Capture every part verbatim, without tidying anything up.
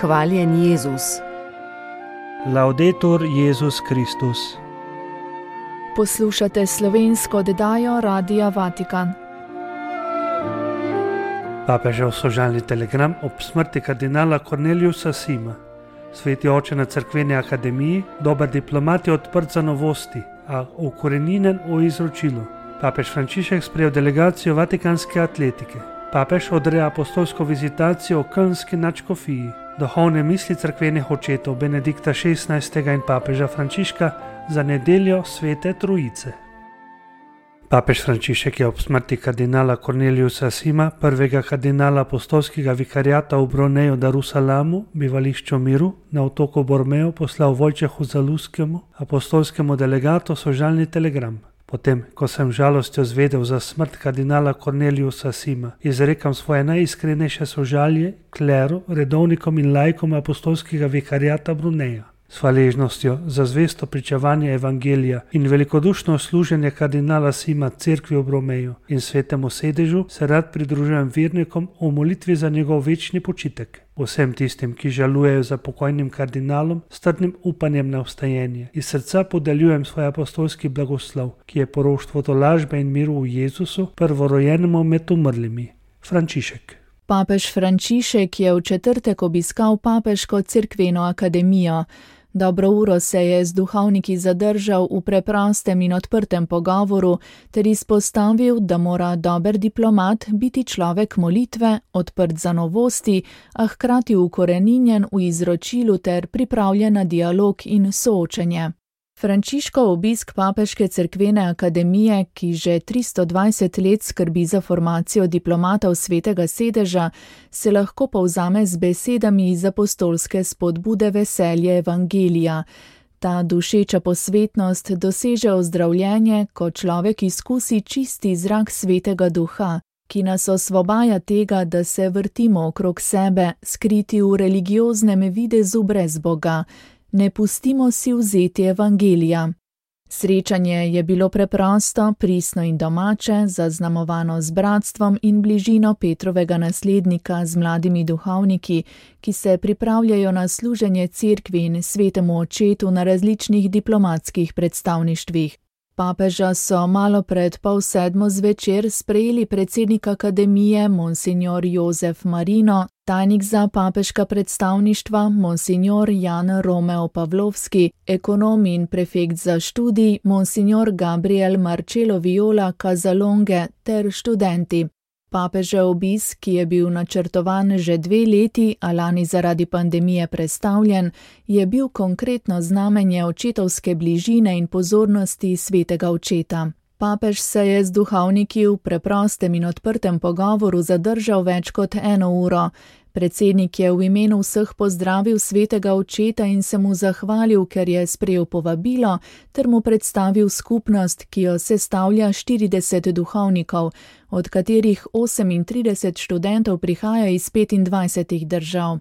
Hvaljen Jezus. Laudetur Jezus Kristus. Poslušate slovensko oddajo Radia Vatikan. Papežev sožalni telegram ob smrti kardinala Corneliusa Sima. Sveti oče na cerkveni akademiji, dober diplomat je odprt za novosti, a ukorenjen v izročilu. Papež Frančišek sprejel delegacijo vatikanske atletike. Papež odreja apostolsko vizitacijo v Kölnski nadškofiji. Duhovne misli cerkvenih očetov Benedikta šestnajstega in papeža Frančiška za nedeljo Svete Trojice. Papež Frančišek je ob smrti kardinala Corneliusa Sima, prvega kardinala apostolskega vikariata v Broneju Darusalamu, bivališču miru, na otoku Bormeo poslal Vojčehu Zaluskemu, apostolskemu delegatu, sožalni telegram. Potem, ko sem žalostjo zvedel za smrt kardinala Corneliusa Sima, izrekam svoje najiskrenejše sožalje kleru, redovnikom in laikom apostolskega vikariata Bruneja. S hvaležnostjo za zvesto pričevanje evangelija in velikodušno služenje kardinala Sima cerkvi v Bromeju in svetemu sedežu se rad pridružujem vernikom v molitvi za njegov večni počitek. Vsem tistim, ki žalujejo za pokojnim kardinalom, s trdnim upanjem na vstajenje. Iz srca podeljujem svoj apostolski blagoslov, ki je poroštvo tolažbe in miru v Jezusu, prvorojenemu med umrlimi. Frančišek. Papež Frančišek je v četrtek obiskal papeško cerkveno akademijo. Dobro uro se je z duhovniki zadržal v preprostem in odprtem pogovoru ter izpostavil, da mora dober diplomat biti človek molitve, odprt za novosti, a hkrati ukoreninjen v izročilu ter pripravljen na dialog in soočenje. Frančiškov obisk papeške cerkvene akademije, ki že tristo dvajset let skrbi za formacijo diplomatov svetega sedeža, se lahko povzame z besedami iz apostolske spodbude veselje evangelija. Ta dušeča posvetnost doseže ozdravljenje, ko človek izkusi čisti zrak svetega duha, ki nas osvobaja tega, da se vrtimo okrog sebe, skriti v religioznem videzu brez Boga. Ne pustimo si vzeti evangelija. Srečanje je bilo preprosto, pristno in domače, zaznamovano z bratstvom in bližino Petrovega naslednika z mladimi duhovniki, ki se pripravljajo na služenje cerkvi in svetemu očetu na različnih diplomatskih predstavništvih. Papeža so malo pred pol sedmo zvečer sprejeli predsednik akademije Monsignor Jozef Marino, tajnik za papeška predstavništva Monsignor Jan Romeo Pavlovski, ekonom in prefekt za študij Monsignor Gabriel Marcello Viola Casalonge ter študenti. Papežev obisk, ki je bil načrtovan že dve leti, a lani zaradi pandemije prestavljen, je bil konkretno znamenje očetovske bližine in pozornosti svetega očeta. Papež se je z duhovniki v preprostem in odprtem pogovoru zadržal več kot eno uro. Predsednik je v imenu vseh pozdravil svetega očeta in se mu zahvalil, ker je sprejel povabilo, ter mu predstavil skupnost, ki jo sestavlja štirideset duhovnikov, od katerih osemintrideset študentov prihaja iz petindvajsetih držav.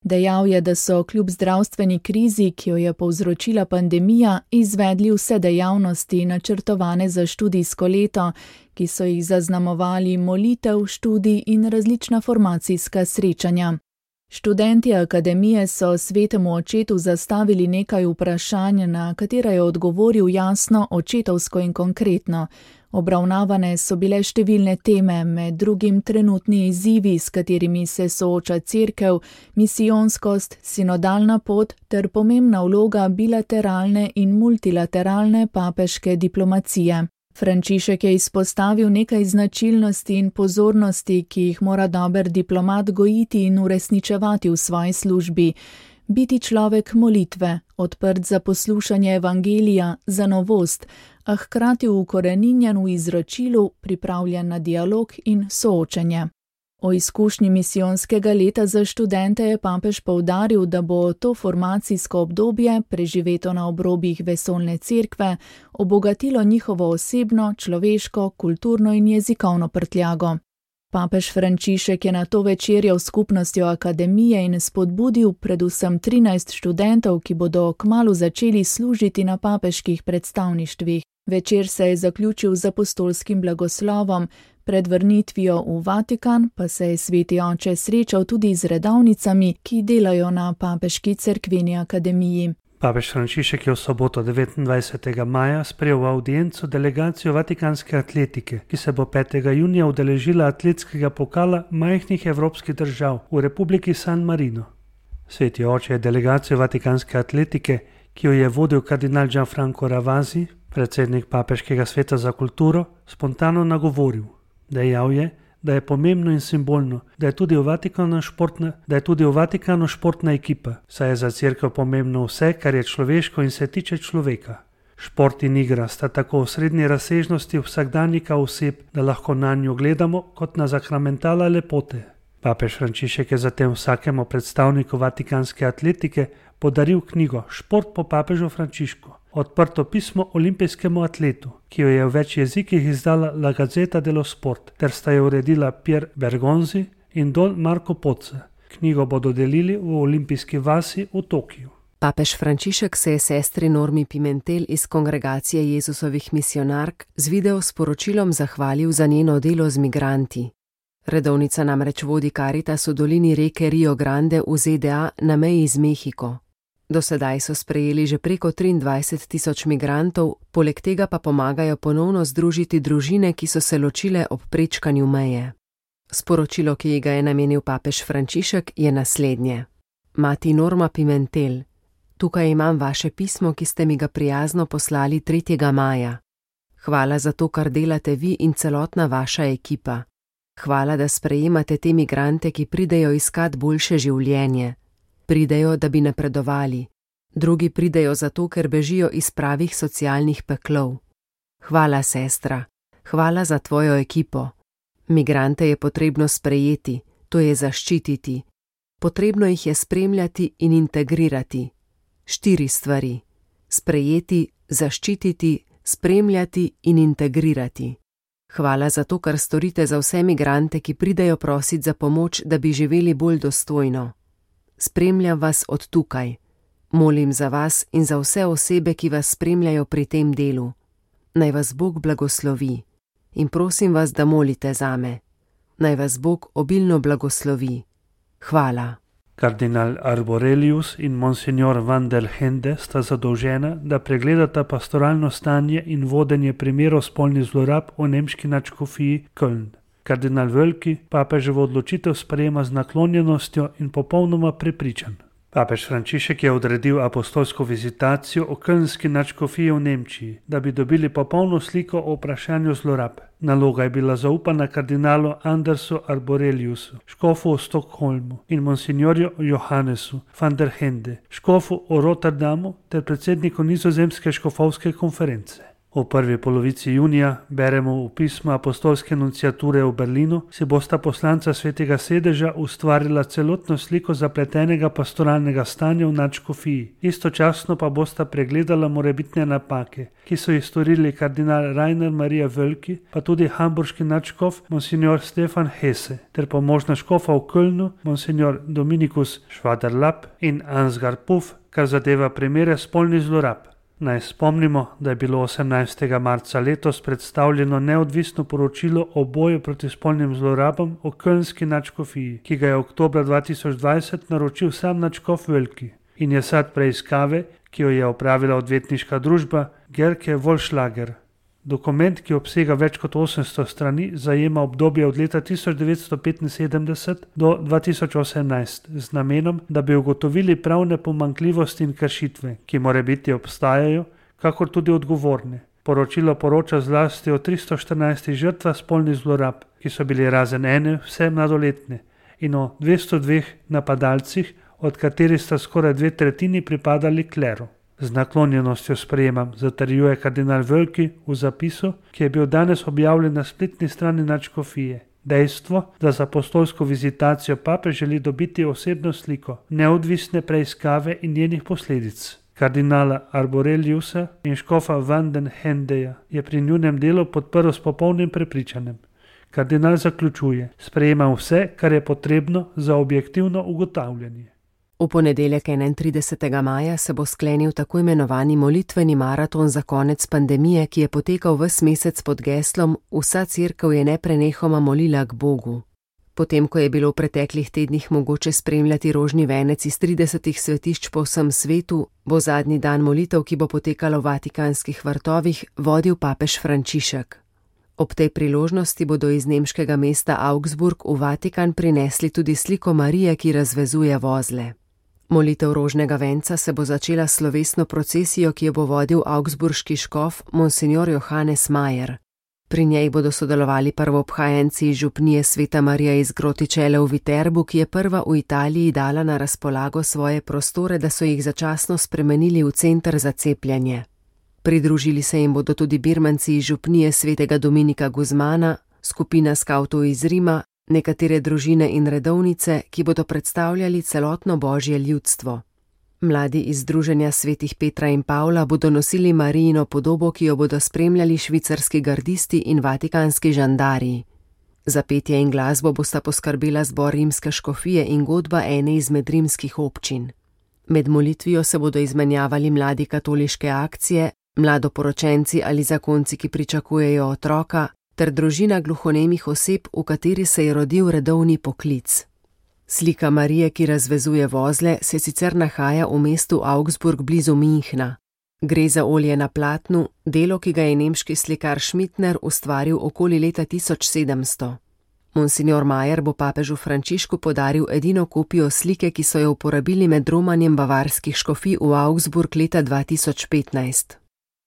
Dejal je, da so kljub zdravstveni krizi, ki jo je povzročila pandemija, izvedli vse dejavnosti načrtovane za študijsko leto, ki so jih zaznamovali molitev, študij in različna formacijska srečanja. Študenti akademije so svetemu očetu zastavili nekaj vprašanj, na katera je odgovoril jasno, očetovsko in konkretno. Obravnavane so bile številne teme, med drugim trenutni izzivi, s katerimi se sooča cerkev, misijonskost, sinodalna pot ter pomembna vloga bilateralne in multilateralne papeške diplomacije. Frančišek je izpostavil nekaj značilnosti in pozornosti, ki jih mora dober diplomat gojiti in uresničevati v svoji službi. Biti človek molitve, odprt za poslušanje evangelija, za novost, a hkrati ukoreninjen v izročilu, pripravljen na dialog in soočenje. O izkušnji misijonskega leta za študente je papež poudaril, da bo to formacijsko obdobje, preživeto na obrobjih vesoljne cerkve, obogatilo njihovo osebno, človeško, kulturno in jezikovno prtljago. Papež Frančišek je nato večerjal s skupnostjo akademije in spodbudil predvsem trinajst študentov, ki bodo kmalu začeli služiti na papeških predstavništvih. Večer se je zaključil z apostolskim blagoslovom, Pred vrnitvijo v Vatikan pa se je sveti oče srečal tudi z redovnicami, ki delajo na Papeški cerkveni akademiji. Papež Frančišek je v soboto devetindvajsetega maja sprejel v avdienco delegacijo vatikanske atletike, ki se bo petega junija udeležila atletskega pokala majhnih evropskih držav v Republiki San Marino. Sveti oče je delegacijo vatikanske atletike, ki jo je vodil kardinal Gianfranco Ravasi, predsednik Papeškega sveta za kulturo, spontano nagovoril. Dejal je, da je pomembno in simbolno, da je tudi v Vatikanu športna, da je tudi v Vatikanu športna ekipa, saj je za cerkev pomembno vse, kar je človeško in se tiče človeka. Šport in igra sta tako v srednji razsežnosti vsakdanjika oseb, da lahko nanjo gledamo kot na zakramentala lepote. Papež Frančišek je zatem vsakemu predstavniku vatikanske atletike podaril knjigo Šport po papežu Frančišku, odprto pismo olimpijskemu atletu, ki jo je v več jezikih izdala La Gazzetta dello Sport, ter sta jo uredila Pier Bergonzi in Don Marco Pozza. Knjigo bodo delili v olimpijski vasi v Tokiu. Papež Frančišek se je sestri Normi Pimentel iz Kongregacije Jezusovih misionark z video sporočilom zahvalil za njeno delo z migranti. Redovnica namreč vodi Karitas v dolini reke Rio Grande v Z D A na meji z Mehiko. Do sedaj so sprejeli že preko triindvajset tisoč migrantov, poleg tega pa pomagajo ponovno združiti družine, ki so se ločile ob prečkanju meje. Sporočilo, ki ga je namenil papež Frančišek, je naslednje. Mati Norma Pimentel, tukaj imam vaše pismo, ki ste mi ga prijazno poslali tretjega maja. Hvala za to, kar delate vi in celotna vaša ekipa. Hvala, da sprejemate te migrante, ki pridejo iskat boljše življenje. Pridejo, da bi napredovali. Drugi pridejo zato, ker bežijo iz pravih socialnih peklov. Hvala, sestra. Hvala za tvojo ekipo. Migrante je potrebno sprejeti, to je zaščititi. Potrebno jih je spremljati in integrirati. Štiri stvari. Sprejeti, zaščititi, spremljati in integrirati. Hvala za to, kar storite za vse migrante, ki pridejo prosit za pomoč, da bi živeli bolj dostojno. Spremljam vas od tukaj. Molim za vas in za vse osebe, ki vas spremljajo pri tem delu. Naj vas Bog blagoslovi. In prosim vas, da molite zame. Naj vas Bog obilno blagoslovi. Hvala. Kardinal Arborelius in monsignor Van der Hende sta zadolžena, da pregledata pastoralno stanje in vodenje primerov spolnih zlorab v nemški nadškofiji Köln. Kardinal Völki papeževo odločitev sprejema z naklonjenostjo in popolnoma prepričan. Papež Frančišek je odredil apostolsko vizitacijo v kölnski nadškofiji v Nemčiji, da bi dobili popolno sliko o vprašanju zlorab. Naloga je bila zaupana kardinalu Andersu Arboreliusu, škofu v Stockholmu, in monsignorju Johannesu van der Hende, škofu v Rotterdamu ter predsedniku nizozemske škofovske konference. V prvi polovici junija beremo v pismu apostolske nunciature v Berlinu, si bosta poslanca svetega sedeža ustvarila celotno sliko zapletenega pastoralnega stanja v nadškofiji. Istočasno pa bosta pregledala morebitne napake, ki so jih storili kardinal Rainer Maria Völki, pa tudi hamburški nadškof monsignor Stefan Hesse, ter pomožna škofa v Kölnu monsignor Dominikus Schwaderlapp in Ansgar Puff, kar zadeva primere spolnih zlorab. Naj spomnimo, da je bilo osemnajstega marca letos predstavljeno neodvisno poročilo o boju proti spolnim zlorabam v kölnski nadškofiji, ki ga je oktobra dva tisoč dvajset naročil sam nadškof Völki in je sad preiskave, ki jo je opravila odvetniška družba Gerke Vollschlager. Dokument, ki obsega več kot osemsto strani, zajema obdobje od leta tisoč devetsto petinsedemdeset do dva tisoč osemnajst z namenom, da bi ugotovili pravne pomanjkljivosti in kršitve, ki morebiti obstajajo, kakor tudi odgovorne. Poročilo poroča zlasti o tristo štirinajstih žrtvah spolnih zlorab, ki so bili razen ene vse mladoletne, in o dvesto dveh napadalcih, od katerih sta skoraj dve tretjini pripadali kleru. Z naklonjenostjo sprejemam, zatrjuje kardinal Völki v zapisu, ki je bil danes objavljen na spletni strani nadškofije. Dejstvo, da za apostolsko vizitacijo papež želi dobiti osebno sliko, neodvisne preiskave in njenih posledic. Kardinala Arboreliusa in škofa Van den Hendeja je pri njunem delu podprl s popolnim prepričanjem. Kardinal zaključuje, sprejemam vse, kar je potrebno za objektivno ugotavljanje. V ponedeljek enaintridesetega maja se bo sklenil tako imenovani molitveni maraton za konec pandemije, ki je potekal ves mesec pod geslom Vsa cerkev je neprenehoma molila k Bogu. Potem, ko je bilo v preteklih tednih mogoče spremljati rožni venec iz tridesetih svetišč po vsem svetu, bo zadnji dan molitev, ki bo potekalo v vatikanskih vrtovih, vodil papež Frančišek. Ob tej priložnosti bodo iz nemškega mesta Augsburg v Vatikan prinesli tudi sliko Marije, ki razvezuje vozle. Molitev rožnega venca se bo začela s slovesno procesijo, ki jo bo vodil augsburški škof monsignor Johannes Mayer. Pri njej bodo sodelovali prvoobhajenci iz župnije Sveta Marija iz Grotičele v Viterbu, ki je prva v Italiji dala na razpolago svoje prostore, da so jih začasno spremenili v center za cepljenje. Pridružili se jim bodo tudi birmanci iz župnije Svetega Dominika Guzmana, skupina skavtov iz Rima, nekatere družine in redovnice, ki bodo predstavljali celotno božje ljudstvo. Mladi iz Združenja svetih Petra in Pavla bodo nosili Marijino podobo, ki jo bodo spremljali švicarski gardisti in vatikanski žandarji. Za petje in glasbo bosta poskrbela zbor rimske škofije in godba ene izmed rimskih občin. Med molitvijo se bodo izmenjavali mladi katoliške akcije, mladoporočenci ali zakonci, ki pričakujejo otroka, ter družina gluhonemih oseb, v kateri se je rodil redovni poklic. Slika Marije, ki razvezuje vozle, se sicer nahaja v mestu Augsburg blizu Münchna. Gre za olje na platnu, delo, ki ga je nemški slikar Schmittner ustvaril okoli leta tisoč sedemsto. Monsignor Mayer bo papežu Frančišku podaril edino kopijo slike, ki so jo uporabili med romanjem bavarskih škofij v Augsburg leta dva tisoč petnajst.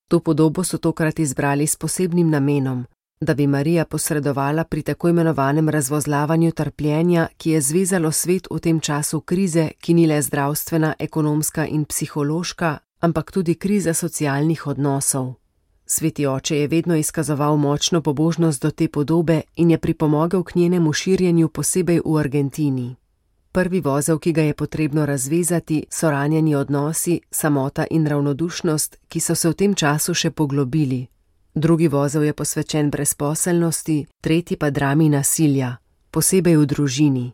To podobo so tokrat izbrali s posebnim namenom, da bi Marija posredovala pri tako imenovanem razvozlavanju trpljenja, ki je zvezalo svet v tem času krize, ki ni le zdravstvena, ekonomska in psihološka, ampak tudi kriza socialnih odnosov. Sveti oče je vedno izkazoval močno pobožnost do te podobe in je pripomogel k njenemu širjenju posebej v Argentini. Prvi vozel, ki ga je potrebno razvezati, so ranjeni odnosi, samota in ravnodušnost, ki so se v tem času še poglobili. Drugi vozel je posvečen brezposelnosti, tretji pa drami nasilja, posebej v družini.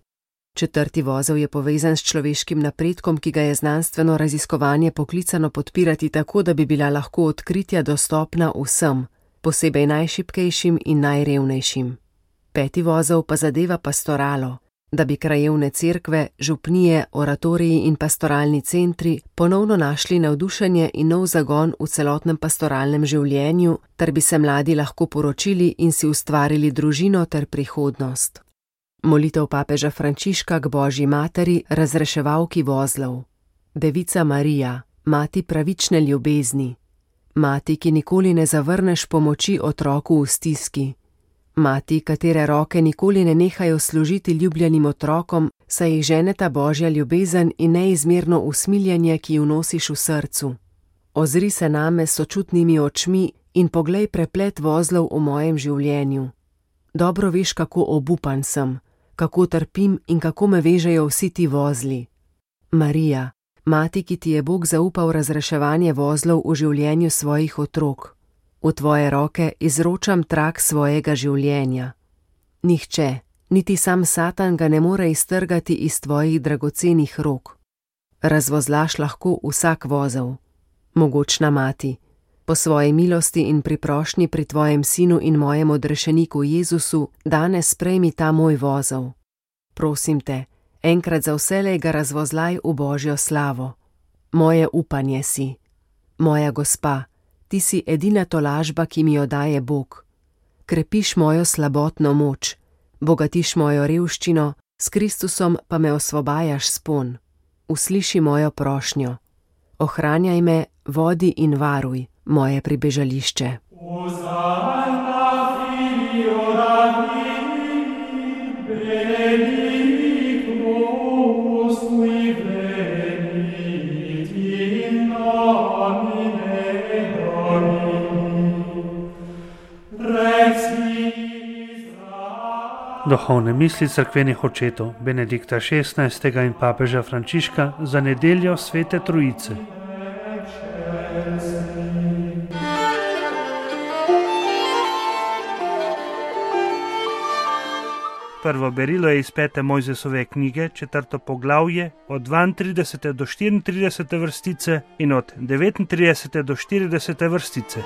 Četrti vozel je povezan s človeškim napredkom, ki ga je znanstveno raziskovanje poklicano podpirati tako, da bi bila lahko odkritja dostopna vsem, posebej najšibkejšim in najrevnejšim. Peti vozel pa zadeva pastoralo, da bi krajevne cerkve, župnije, oratoriji in pastoralni centri ponovno našli navdušenje in nov zagon v celotnem pastoralnem življenju, ter bi se mladi lahko poročili in si ustvarili družino ter prihodnost. Molitev papeža Frančiška k Božji materi, razreševalki vozlov. Devica Marija, mati pravične ljubezni. Mati, ki nikoli ne zavrneš pomoči otroku v stiski. Mati, katere roke nikoli ne nehajo služiti ljubljenim otrokom, saj jih ženeta Božja ljubezen in neizmerno usmiljenje, ki ju nosiš v srcu. Ozri se name s sočutnimi očmi in poglej preplet vozlov v mojem življenju. Dobro veš, kako obupan sem, kako trpim in kako me vežejo vsi ti vozli. Marija, mati, ki ti je Bog zaupal razreševanje vozlov v življenju svojih otrok. V tvoje roke izročam trak svojega življenja. Nihče, niti sam Satan ga ne more iztrgati iz tvojih dragocenih rok. Razvozlaš lahko vsak vozel. Mogočna mati, po svoji milosti in priprošnji pri tvojem sinu in mojem odrešeniku Jezusu, danes sprejmi ta moj vozel. Prosim te, enkrat za vselej ga razvozlaj v Božjo slavo. Moje upanje si. Moja gospa, ti si edina tolažba, ki mi jo daje Bog. Krepiš mojo slabotno moč, bogatiš mojo revščino, s Kristusom pa me osvobajaš spon. Usliši mojo prošnjo. Ohranjaj me, vodi in varuj moje pribežališče. Duhovne misli cerkvenih očetov Benedikta šestnajstega in papeža Frančiška za nedeljo Svete Trojice. Prvo berilo je iz pete Mojzesove knjige, četrto poglavje, od dvaintridesete do štiriintridesete vrstice in od devetintridesete do štiridesete vrstice.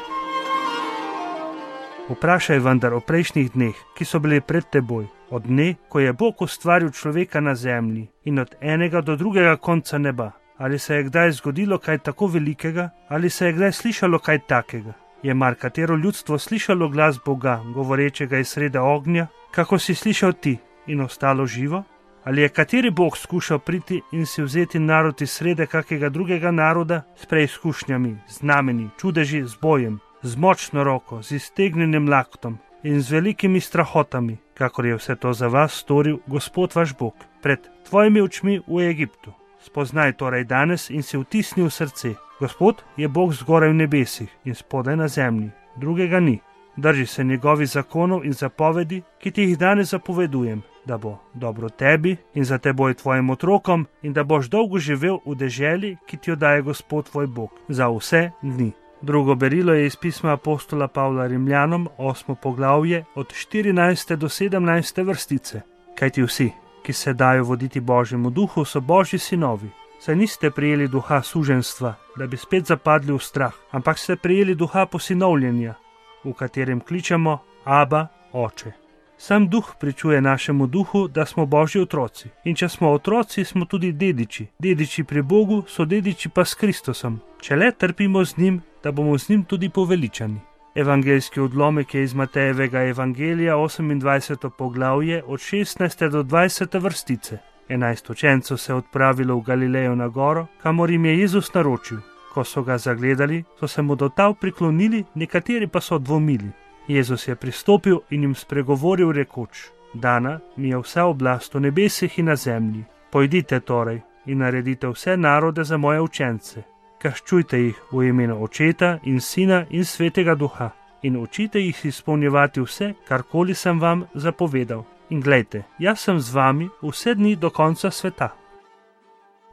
Vprašaj vendar o prejšnjih dneh, ki so bili pred teboj, od dne, ko je Bog ustvaril človeka na zemlji in od enega do drugega konca neba. Ali se je kdaj zgodilo kaj tako velikega, ali se je kdaj slišalo kaj takega? Je mar katero ljudstvo slišalo glas Boga, govorečega iz srede ognja, kako si slišal ti in ostalo živo? Ali je kateri Bog skušal priti in si vzeti narod iz srede kakega drugega naroda s preizkušnjami, znameni, čudeži, z bojem, z močno roko, z iztegnjenim laktom in z velikimi strahotami, kakor je vse to za vas storil Gospod vaš Bog, pred tvojimi očmi v Egiptu. Spoznaj torej danes in si vtisni v srce. Gospod je Bog zgoraj v nebesih in spodaj na zemlji, drugega ni. Drži se njegovih zakonov in zapovedi, ki ti jih danes zapovedujem, da bo dobro tebi in za teboj tvojim otrokom in da boš dolgo živel v deželi, ki ti jo daje Gospod tvoj Bog, za vse dni. Drugo berilo je iz pisma apostola Pavla Rimljanom, osmo poglavje, od štirinajste do sedemnajste vrstice. Kajti vsi, ki se dajo voditi Božjemu duhu, so Božji sinovi. Saj niste prijeli duha suženjstva, da bi spet zapadli v strah, ampak ste prijeli duha posinovljenja, v katerem kličemo Aba, Oče. Sam duh pričuje našemu duhu, da smo Božji otroci. In če smo otroci, smo tudi dediči. Dediči pri Bogu so dediči pa s Kristusom. Če le trpimo z njim, da bomo z njim tudi poveličani. Evangeljski odlomek je iz Matejevega evangelija, osemindvajseto poglavje, od šestnajste do dvajsete vrstice. Enajst učencev se je odpravilo v Galilejo na goro, kamor jim je Jezus naročil. Ko so ga zagledali, so se mu do tal priklonili, nekateri pa so dvomili. Jezus je pristopil in jim spregovoril rekoč: Dana mi je vsa oblast v nebesih in na zemlji. Pojdite torej in naredite vse narode za moje učence. Krščujte jih v imenu Očeta in Sina in Svetega Duha in učite jih izpolnjevati vse, karkoli sem vam zapovedal. In glejte, jaz sem z vami vse dni do konca sveta.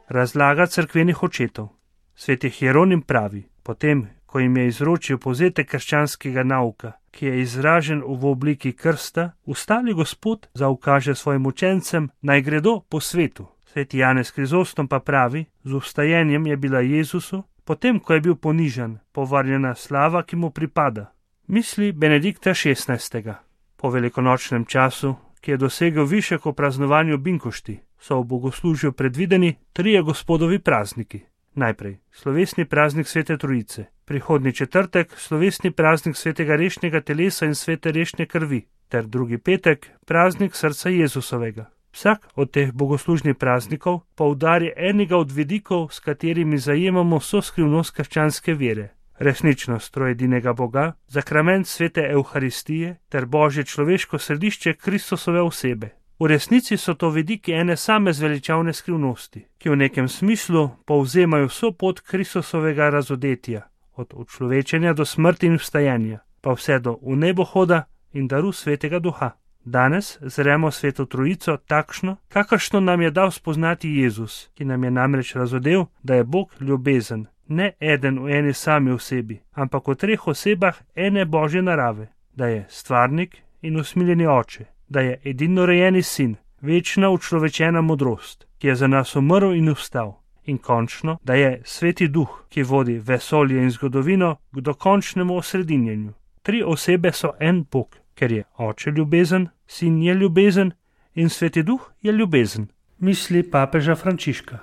Razlaga cerkvenih očetov. Sveti Hieronim pravi, potem, ko jim je izročil povzetek krščanskega nauka, ki je izražen v obliki krsta, ustali Gospod zaukaže svojim učencem, naj gredo po svetu. Sveti Janez Krizostom pa pravi, z vstajenjem je bila Jezusu, potem, ko je bil ponižan, povrnjena slava, ki mu pripada. Misli Benedikta šestnajstega. Po velikonočnem času, ki je dosegel višek v praznovanju binkošti, so v bogoslužju predvideni trije Gospodovi prazniki. Najprej slovesni praznik Svete Trojice, prihodnji četrtek slovesni praznik Svetega rešnjega telesa in Svete rešne krvi, ter drugi petek praznik srca Jezusovega. Vsak od teh bogoslužnih praznikov poudari enega od vidikov, s katerimi zajemamo vso skrivnost krščanske vere. Resničnost trojedinega Boga, zakrament Svete Evharistije ter Božje človeško središče Kristusove osebe. V resnici so to vidiki ene same zveličavne skrivnosti, ki v nekem smislu povzemajo vso pot Kristusovega razodetja, od učlovečenja do smrti in vstajanja, pa vse do v nebohoda in daru Svetega Duha. Danes zremo Sveto Trojico takšno, kakršno nam je dal spoznati Jezus, ki nam je namreč razodel, da je Bog ljubezen, ne eden v eni sami osebi, ampak v treh osebah ene Božje narave, da je stvarnik in usmiljeni Oče, da je edinorojeni Sin, večna učlovečena modrost, ki je za nas umrl in vstal, in končno, da je Sveti Duh, ki vodi vesolje in zgodovino k dokončnemu osredinjenju. Tri osebe so en Bog, ker je Oče ljubezen, Sin je ljubezen in Sveti Duh je ljubezen. Misli papeža Frančiška.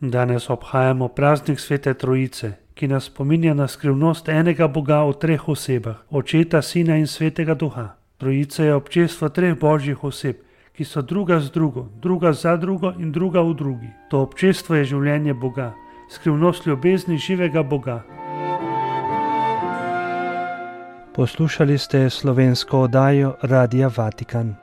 Danes obhajamo praznik Svete Trojice, ki nas spominja na skrivnost enega Boga v treh osebah, Očeta, Sina in Svetega Duha. Trojica je občestvo treh božjih oseb, ki so druga z drugo, druga za drugo in druga v drugi. To občestvo je življenje Boga, skrivnost ljubezni živega Boga. Poslušali ste slovensko oddajo Radia Vatikan.